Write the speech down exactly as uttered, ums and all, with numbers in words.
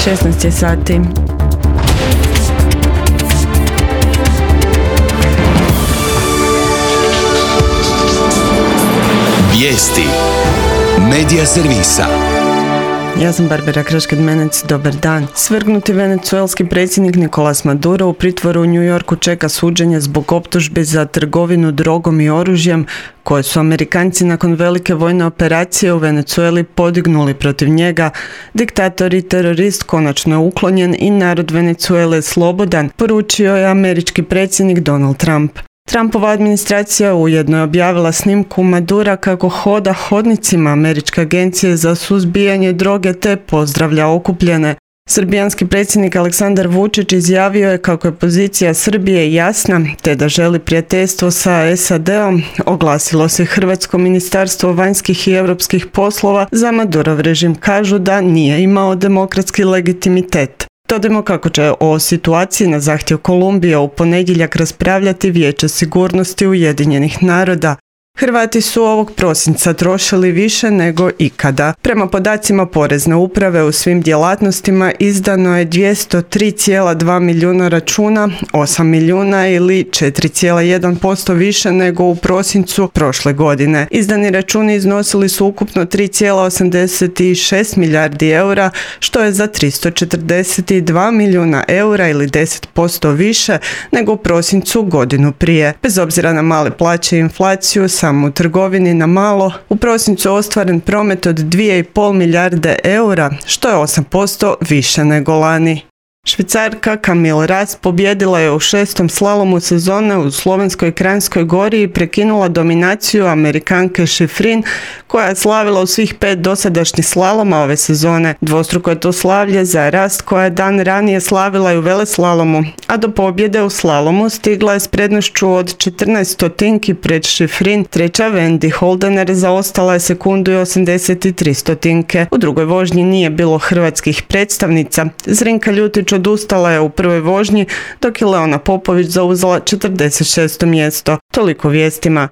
šesnaest je sati. Vijesti Medija servisa. Ja sam Barbara Krašked-Menec, dobar dan. Svrgnuti venecuelski predsjednik Nicolas Maduro u pritvoru u New Yorku čeka suđenje zbog optužbi za trgovinu drogom i oružjem koje su Amerikanci nakon velike vojne operacije u Venecueli podignuli protiv njega. Diktator i terorist konačno je uklonjen i narod Venecuele slobodan, poručio je američki predsjednik Donald Trump. Trumpova administracija ujedno je objavila snimku Madura kako hoda hodnicima Američke agencije za suzbijanje droge te pozdravlja okupljene. Srbijanski predsjednik Aleksandar Vučić izjavio je kako je pozicija Srbije jasna te da želi prijateljstvo sa S A D-om, oglasilo se Hrvatsko ministarstvo vanjskih i europskih poslova. Za Madurov režim kažu da nije imao demokratski legitimitet. Dodajmo kako će o situaciji na zahtjev Kolumbije u ponedjeljak raspravljati Vijeće sigurnosti Ujedinjenih naroda. Hrvati su ovog prosinca trošili više nego ikada. Prema podacima Porezne uprave u svim djelatnostima izdano je dvjesto tri zarez dva milijuna računa, osam milijuna ili četiri zarez jedan posto više nego u prosincu prošle godine. Izdani računi iznosili su ukupno tri zarez osamdeset šest milijardi eura, što je za tristo četrdeset dva milijuna eura ili deset posto više nego u prosincu godinu prije. Bez obzira na male plaće i inflaciju, samo u trgovini na malo u prosincu ostvaren promet od dvije i pol milijarde eura, što je osam posto više nego lani. Švicarka Camille Ras pobijedila je u šestom slalomu sezone u Slovenskoj Kranjskoj Gori i prekinula dominaciju Amerikanke Schifrin, koja je slavila u svih pet dosadašnjih slaloma ove sezone. Dvostruko je to slavlje za Ras, koja je dan ranije slavila i u veleslalomu, a do pobjede u slalomu stigla je s prednošću od četrnaest stotinki pred Schifrin. Treća Wendy Holdener zaostala je sekundu i osamdeset tri stotinke. U drugoj vožnji nije bilo hrvatskih predstavnica. Zrinka Ljutić odustala je u prvoj vožnji, dok je Leona Popović zauzela četrdeset šesto mjesto. Toliko vijestima.